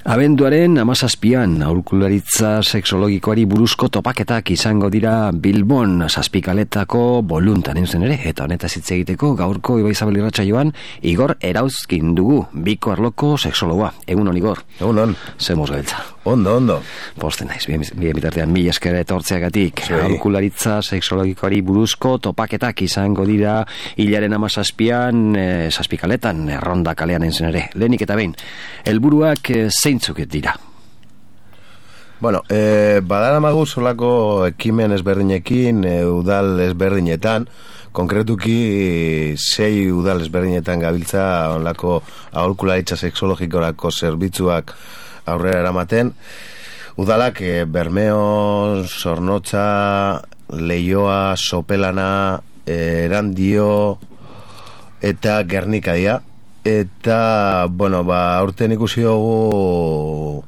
Abenduaren 17an aholkularitza sexologikoari buruzko topaketak izango dira Bilbon Zazpikaletako Boluntan zen ere, eta honetaz hitz egiteko gaurko Ibai Zabal irratsaioan Igor Erauzkin dugu, Biko Arloko sexologoa. Egun on, Igor. Egun on. Zemoz gabiltza. Ondo. Posten naiz, bien bitartean mila esker etortzeagatik. Aholkularitza sexologikoari buruzko topaketak izango dira hilaren 17an Zazpikaletan, Erronda kalean zen ere. Lehenik eta behin, helburuak zeintzuk dira? Bueno, badaramagu solako ekimen ezberdinekin, udal ezberdinetan, konkretuki 6 udal ezberdinetan gabiltza onlako aholkularitza sexologikorako zerbitzuak aurrera eramaten. Udalak Bermeo, Zornotza, Leioa, Sopelana, Erandio eta Gernika dira. Eta, bueno, aurten ikusi dugu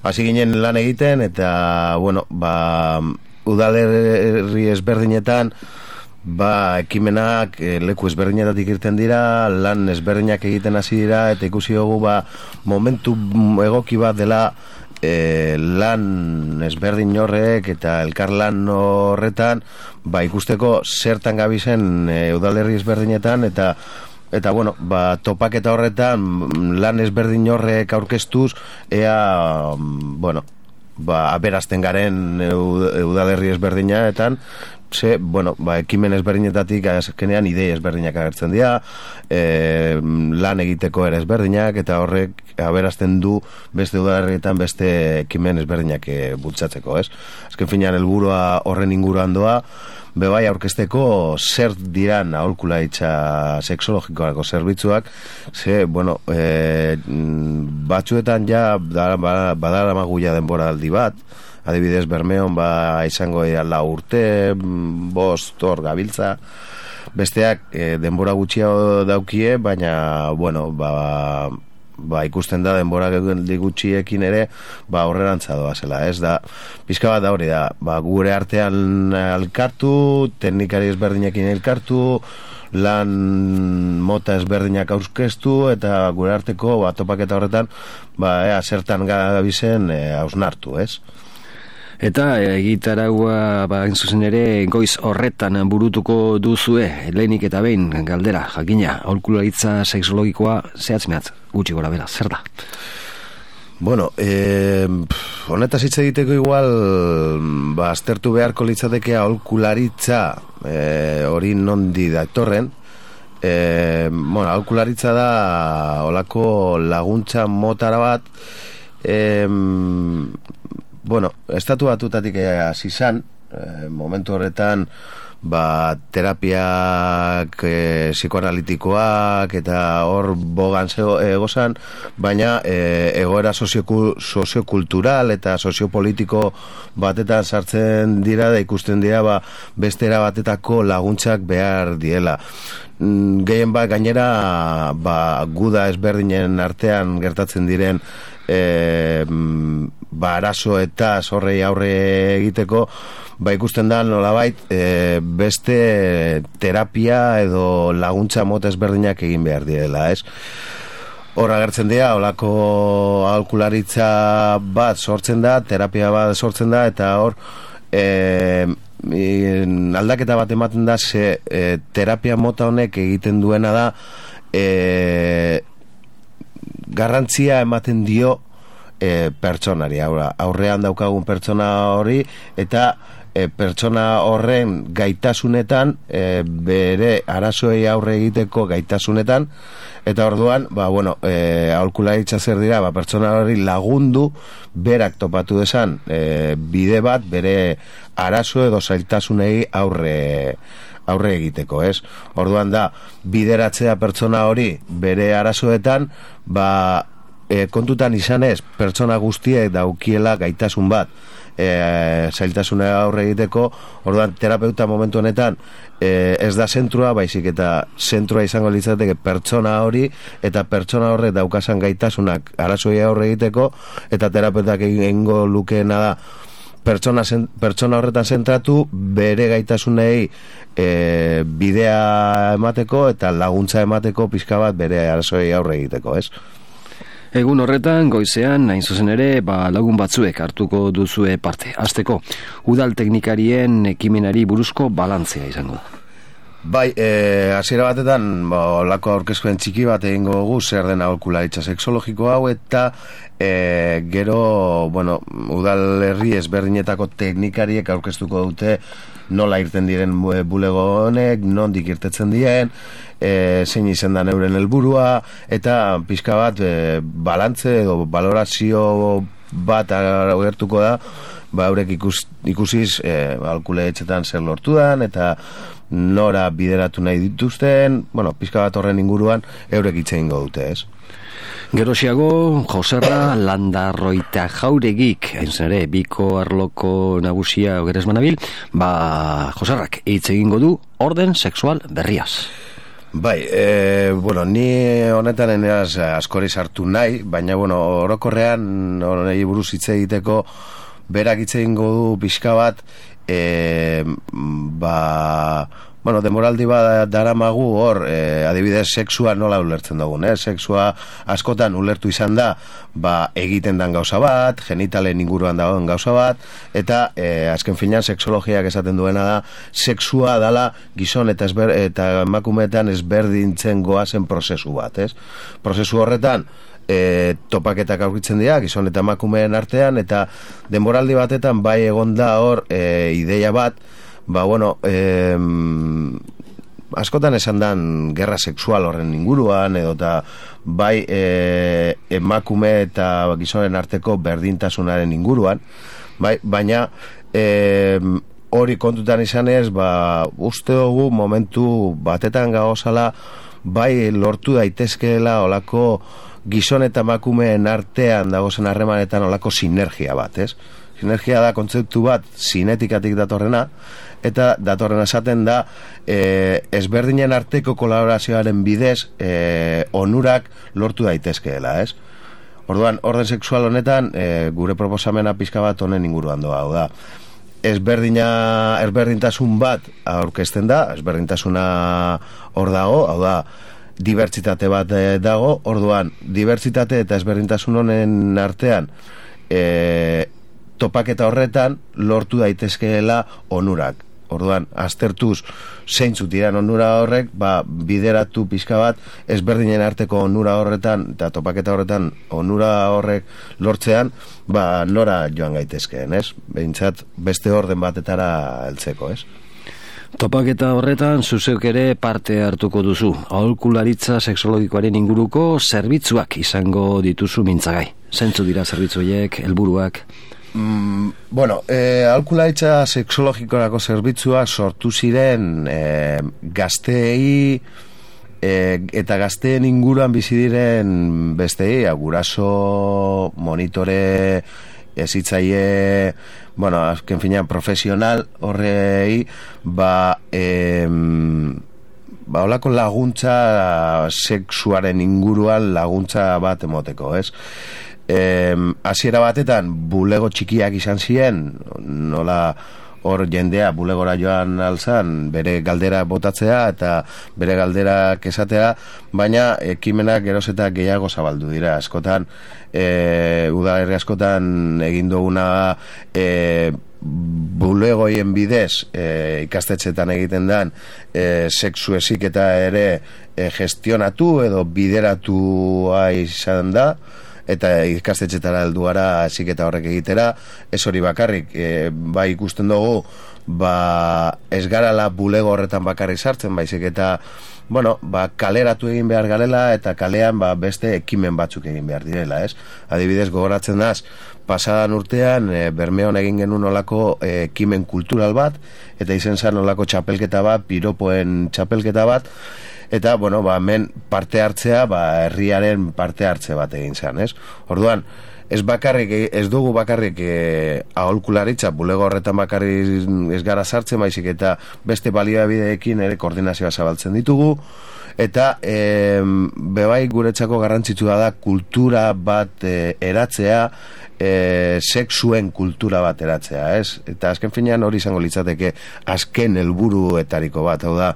hasi ginen lan egiten, eta, bueno, udalerri ezberdinetan ekimenak leku ezberdinetatik irten dira, lan ezberdinak egiten hasi dira, eta ikusi dugu momentu egoki bat dela lan ezberdin horrek eta elkarlan horretan ikusteko zertan gabizen udalerri ezberdinetan, eta bueno, topaketa horretan lan ezberdin horrek aurkeztuz ea, bueno, aberazten garen udalerri ezberdinetan, ekimen ezberdinetatik azkenean idei ezberdinak agertzen dira, lan egiteko ere ezberdinak, eta horrek aberazten du beste udalerrietan beste ekimen ezberdinak bultzatzeko, ez? Azken finean helburua horren inguruan doa, bebai aurkezteko zer diran aholkularitza sexologikoako zerbitzuak, batzuetan ja badaramagu ja denbora aldi bat, adibidez Bermeon izango dira 4 urte, 5 hor gabiltza, besteak denbora gutxiago daukie, baina, bueno, ikusten da denbora gutxiekin ere horrerantza doa zela, ez da, pizka bat da hori da, gure artean elkartu, teknikari ezberdinekin elkartu, lan mota ezberdinak aurkeztu, eta gure arteko topaketa horretan zertan gabizen hausnartu, ez? Eta egitaragua zuzen ere goiz horretan burutuko duzue, lehenik eta behin galdera, jakina, aholkularitza sexologikoa zehatz-mehatz, gutxi gora bera, zer da? Bueno, honetaz hitz egiteko igual aztertu beharko litzateke aholkularitza hori nondi datorren. Aholkularitza da olako laguntza motara bat, estatu batutatik hasi izan, momentu horretan terapiak psikoanalitikoak eta hor bogan egozan, baina egoera soziokultural eta soziopolitiko batetan sartzen dira da ikusten dira beste era batetako laguntzak behar diela. Gehien gainera guda ezberdinen artean gertatzen diren arazo eta zorrei aurre egiteko ikusten da nolabait beste terapia edo laguntza mota ezberdinak egin behar direla, ez? Hor agertzen dira, olako aholkularitza bat sortzen da, terapia bat sortzen da, eta hor aldaketa bat ematen da, terapia mota honek egiten duena da garrantzia ematen dio pertsonari, aurrean daukagun pertsona hori, eta pertsona horren gaitasunetan, bere arazoei aurre egiteko gaitasunetan, eta orduan, aholkularitza zer dira, pertsona hori lagundu, berak topatu desan bide bat, bere arazo edo zailtasunei aurre egiteko, ez? Orduan da, bideratzea pertsona hori bere arazoetan, kontutan izanez, pertsona guztiek daukiela gaitasun bat zailtasuna aurre egiteko, orduan terapeuta momentu honetan ez da zentrua, baizik eta zentrua izango litzateke pertsona hori, eta pertsona horrek daukasan gaitasunak arazoei aurre egiteko, eta terapeutak egingo lukeena da pertsona horretan zentratu, bere gaitasunei bidea emateko eta laguntza emateko pizka bat bere arazoei aurre egiteko, ez? Egun horretan, goizean, hain zuzen ere, lagun batzuek hartuko duzue parte. Hasteko, udal teknikarien ekimenari buruzko balantzea izango da. Bai, hasiera batetan, olako aurkezpen txiki bat egingo dugu zer den aholkularitza sexologiko hau, eta gero, udal herri ezberdinetako teknikariek aurkeztuko dute nola irten diren bulego honek, nondik irtetzen diren, zein izan da euren helburua, eta pixka bat balantze edo valorazio bat agertuko da, eurek ikusiz aholkularitzetan zer lortu dan, eta nora bideratu nahi dituzten, pixka bat horren inguruan eurek hitz egingo dute, ez? Gerosiago, Joserra Landarroita Jauregik, hain zen ere, biko arloko nagusia ogeres manabil, Joserrak hitz egingo du orden sexual berriaz. Bai, ni honetan eneaz askori sartu nahi, baina, orokorrean honei buruz hitz egiteko berak hitz egingo du pixka bat, demoraldi bat daramagu hor, adibidez, sexua nola ulertzen dugun, sexua askotan ulertu izan da, egiten dan gauza bat, genitalen inguruan dagoen gauza bat, eta azken finean sexologiak esaten duena da, sexua dala gizon eta emakumeetan ezberdintzen goazen prozesu bat, prozesu horretan, topaketak aurkitzen dira gizon eta emakumeen artean, eta denboraldi batetan bai egonda hor ideia bat, askotan esan dan gerra sexual horren inguruan, edo eta bai emakume eta gizonen arteko berdintasunaren inguruan, baina hori kontutan izanez, uste dugu momentu batetan gauzala, bai lortu daitezkeela olako gizon eta emakumeen artean dagozen harremanetan olako sinergia bat, Sinergia da kontzeptu bat sinetikatik datorrena, eta datorrena esaten da ezberdinen arteko kolaborazioaren bidez onurak lortu daitezkeela, Orduan, orden sexual honetan gure proposamena pixka bat honen inguruan doa, hau da. Ezberdintasun bat aurkezten da, ezberdintasuna hor dago, hau da, dibertsitate bat dago, orduan, dibertsitate eta ezberdintasun honen artean topaketa horretan lortu daitezkeela onurak. Orduan, aztertuz zeintzuk diran onura horrek, bideratu pixka bat ezberdinen arteko onura horretan eta topaketa horretan onura horrek lortzean, nora joan gaitezkeen, behintzat beste orden batetara heltzeko, Topaketa horretan zuzeuk ere parte hartuko duzu. Aholkularitza sexologikoaren inguruko zerbitzuak izango dituzu mintzagai. Zentzu dira zerbitzu horiek, helburuak? Aholkularitza sexologikorako zerbitzuak sortu ziren gazteei eta gazteen inguruan bizi diren bestei, guraso, monitore, ezitzaile, azken finean profesional horrei, olako laguntza sexuaren inguruan laguntza bat emoteko, hasiera batetan bulego txikiak izan ziren, nola hor jendea bulegora joan alzan bere galdera botatzea eta bere galderak esatea, baina ekimenak geroz eta gehiago zabaldu dira. Askotan udalerri askotan egin duguna bulegoien bidez ikastetxetan egiten dan sexu heziketa ere gestionatu edo bideratua izan da, eta ikastetxetara heldu gara heziketa horrek egitera. Ez hori bakarrik, bai ikusten dugu ez garala bulego horretan bakarrik sartzen, baizik eta kaleratu egin behar garela, eta kalean beste ekimen batzuk egin behar direla, Adibidez, gogoratzen daz, pasadan urtean Bermeon egin genuen olako ekimen kultural bat, eta izen zan olako txapelketa bat, piropoen txapelketa bat, eta, hemen parte hartzea, herriaren parte hartze bat egin zen, Orduan, ez dugu bakarrik aholkularitza, bulego horretan bakarrik ez gara sartzen, baizik eta beste baliabideekin ere koordinazioa zabaltzen ditugu, eta bebai guretzako garrantzitsua da kultura bat eratzea, sexuen kultura bat eratzea, Eta azken finean hori izango litzateke azken helburuetariko bat, hau da,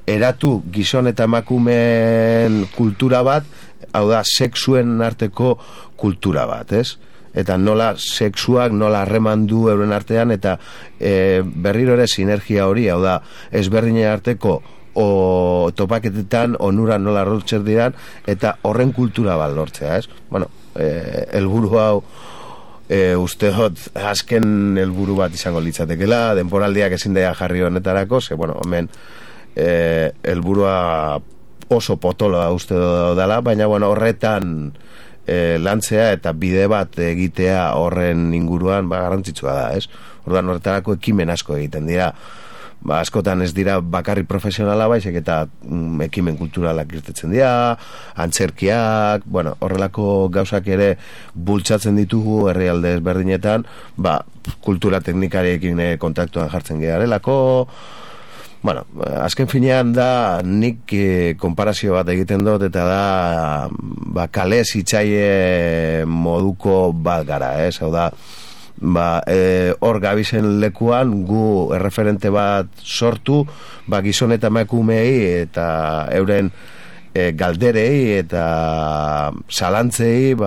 eratu gizon eta emakumeen kultura bat hau da, sexuen arteko kultura bat, ez? Eta nola sexuak nola harremandu euren artean, eta berriro ere sinergia hori, hau da, ezberdinen arteko topaketetan onura nola lortzen diran, eta horren kultura bat lortzea, ez? Bueno, helburu hau uste dut azken helburu bat izango litzatekela, denporaldiak ezin daia jarri honetarako, ze, bueno, hemen helburua oso potoloa uste dela, baina, bueno, horretan lantzea eta bide bat egitea horren inguruan garrantzitsua da, ez? Orduan horretarako ekimen asko egiten dira, askotan ez dira bakarri profesionala baizik eta ekimen kulturalak irtetzen dira, antzerkiak, bueno, horrelako gauzak ere bultzatzen ditugu herrialde ezberdinetan, kultura teknikariekin kontaktuan jartzen garelako. Bueno, azken finean da nik konparazio bat egiten dut, eta da kale zitzaile moduko bat gara, ez? Hau da, hor gabizen lekuan gu erreferente bat sortu, gizon eta emakumeei eta euren galderei eta zalantzei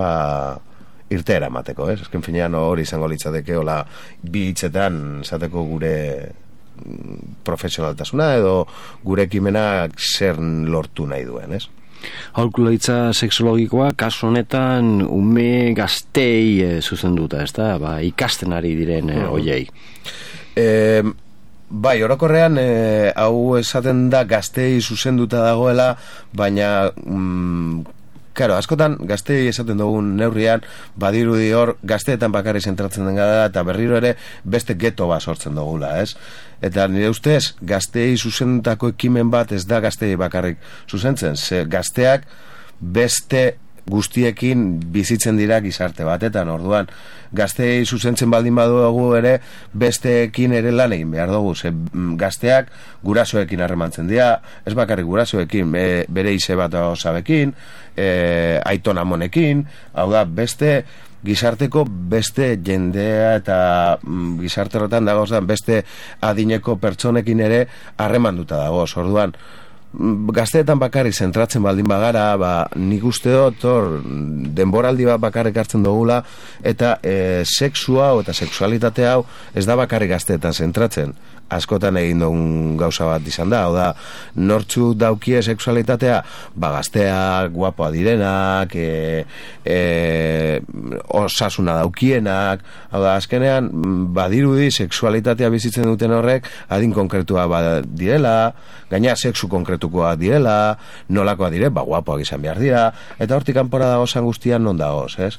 irteera emateko, ez? Azken finean hori izango litzateke, hola bi hitzetan esateko gure profesionaltasuna edo gure ekimenak zer lortu nahi duen, ez? Aholkularitza sexologikoa kasu honetan ume gaztei zuzenduta, ez da? Ikasten ari diren hoiei. Bai, orokorrean hau esaten da gaztei zuzenduta dagoela, baina claro, askotan gaztei esaten dugun neurrian badirudi hor gazteetan bakarri zentratzen den gara eta berriro ere beste geto bat sortzen dugula, ez? Eta nire ustez gaztei zuzendutako ekimen bat ez da gaztei bakarrik zuzentzen, ze gazteak beste guztiekin bizitzen dira gizarte batetan, orduan gaztei zuzentzen baldin badugu ere besteekin ere lan egin behar dugu, ze gazteak gurasoekin harremantzen dira, ez bakarrik gurasoekin, bere ize bat osabekin, aiton amonekin, hau da, beste gizarteko beste jendea eta gizarte horretan dagoz beste adineko pertsonekin ere harremanduta dagoz, orduan gazteetan bakarrik zentratzen baldin bagara, nik uste dut hor denboraldi bat bakarrik hartzen dugula, eta sexu hau eta sexualitate hau ez da bakarrik gazteetan zentratzen, askotan egin dugun gauza bat izan da, hau da, nortzu daukie sexualitatea, gazteak, guapoa direnak, osasuna daukienak, hau da, azkenean, badirudi sexualitatea bizitzen duten horrek, adin konkretua direla, gaina sexu konkretukoa direla, nolakoa dire, guapoak izan behar dira, eta hortik kanpora dagozan guztian non dagoz, ez?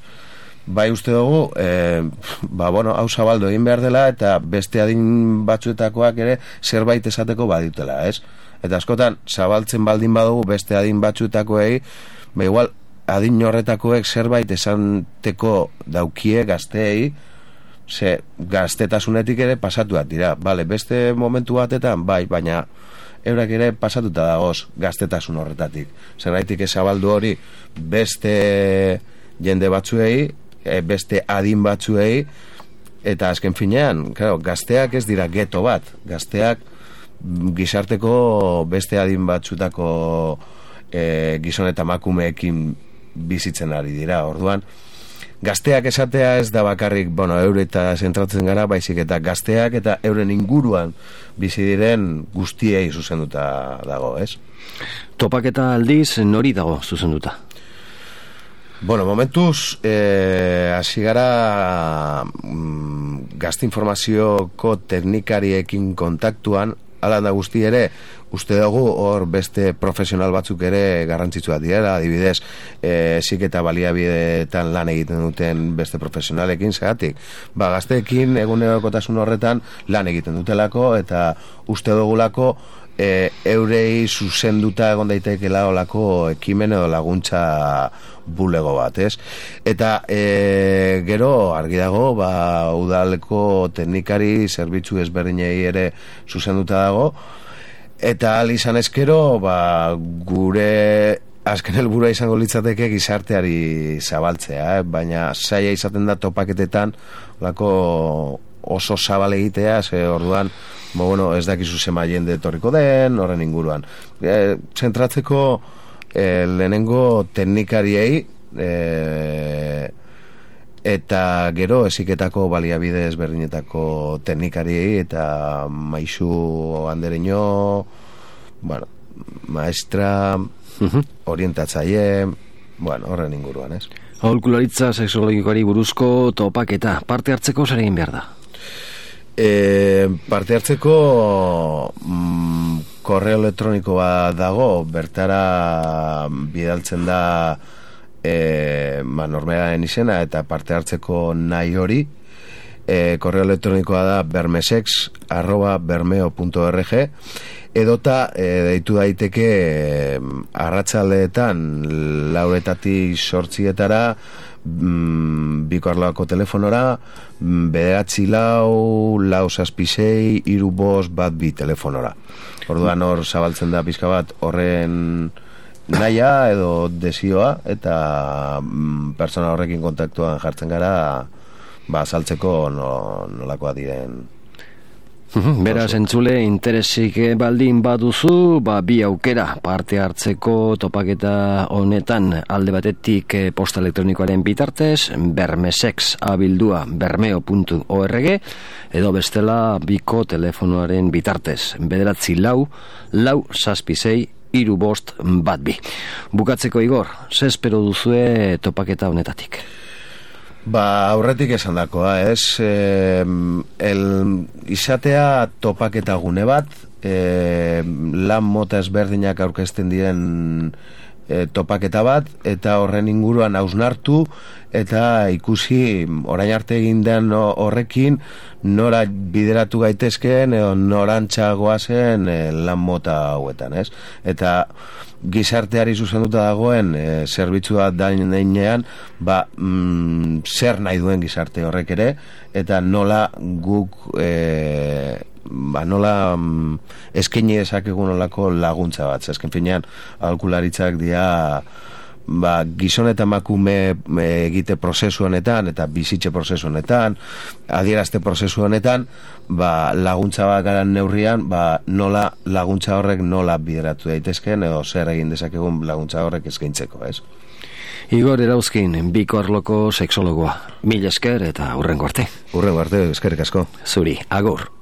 Bai uste dugu, hau zabaldu egin behar dela, eta beste adin batzuetakoak ere zerbait esateko badutela, ez? Eta askotan, zabaltzen baldin badugu beste adin batzuetakoei, igual adin horretakoek zerbait esanteko daukie gazteei, ze gaztetasunetik ere pasatuak dira, beste momentu batetan, baina eurak ere pasatuta dagoz gaztetasun horretatik. Zerraitik zabaldu hori beste jende batzuei, beste adin batzuei, eta azken finean, claro, gazteak ez dira geto bat, gazteak gizarteko beste adin batzutako gizon eta emakumeekin bizitzen ari dira, orduan gazteak esatea ez da bakarrik, eure eta zentratzen gara, baizik eta gazteak eta euren inguruan bizi diren guztiei zuzenduta dago, ez? Topaketa aldiz nori dago zuzenduta? Momentuz, hasi gara gazte informazioko teknikariekin kontaktuan, ala da guzti ere, uste dugu hor beste profesional batzuk ere garrantzitsuak direla, adibidez, heziketa baliabideetan lan egiten duten beste profesionalekin, zeratik, gazteekin egunerokotasun horretan lan egiten dutelako, eta uste dugulako eurei zuzenduta egon daitekela olako ekimen edo laguntza bulego bat, ez? Eta gero argi dago, udaleko teknikari zerbitzu ezberdinei ere zuzenduta dago, eta izan ezkero, gure azken helburua izango litzateke gizarteari zabaltzea, baina zaila izaten da topaketetan olako oso zabal egitea, ze orduan ez dakizu zema jende etorriko den, horren inguruan. Zentratzeko lehenengo teknikariei eta gero heziketako baliabide ezberdinetako teknikariei eta maisu andereño, bueno, maestra, orientatzaile, bueno, horren inguruan, ez? Aholkularitza sexologikoari buruzko topaketa, parte hartzeko zer egin behar da? Parte hartzeko korreo elektronikoa dago, bertara bidaltzen da normeraren izena eta parte hartzeko nahi hori. Korreo elektronikoa da bermesex@bermeo.org edota deitu daiteke arratsaldeetan 4:00 Bikoarloako telefonora 944663552 telefonora. Orduan hor zabaltzen da pizka bat horren naia edo desioa eta pertsona horrekin kontaktuan jartzen gara saltzeko nolakoa diren. Beraz, entzule, interesik baldin baduzu, bi aukera parte hartzeko topaketa honetan alde batetik posta elektronikoaren bitartez, bermesex@bermeo.org edo bestela biko telefonoaren bitartez, 944-666-3552. Bukatzeko, Igor, ze espero duzue topaketa honetatik? Aurretik esan dakoa, ez? Izatea topaketa gune bat, lan mota ezberdinak aurkezten diren topaketa bat, eta horren inguruan hausnartu, eta ikusi orain arte egin den horrekin nora bideratu gaitezkeen edo norantza goazen lan mota hauetan, ez? Eta gizarteari zuzenduta dagoen zerbitzua dainean zer nahi duen gizarte horrek ere eta nola guk nola eskaini dezakegun nolako laguntza bat. Azken finean aholkularitzak dira gizon eta emakume egite prozesu honetan eta bizitze prozesu honetan, adierazte prozesu honetan, laguntza bat garan neurrian, nola laguntza horrek nola bideratu daitezkeen edo zer egin dezakegun laguntza horrek eskaintzeko, ez? Igor Erauzkin, Bikoarloko sexologoa. Mila esker eta hurrengo arte. Hurrengo arte, eskerrik asko. Zuri, agur.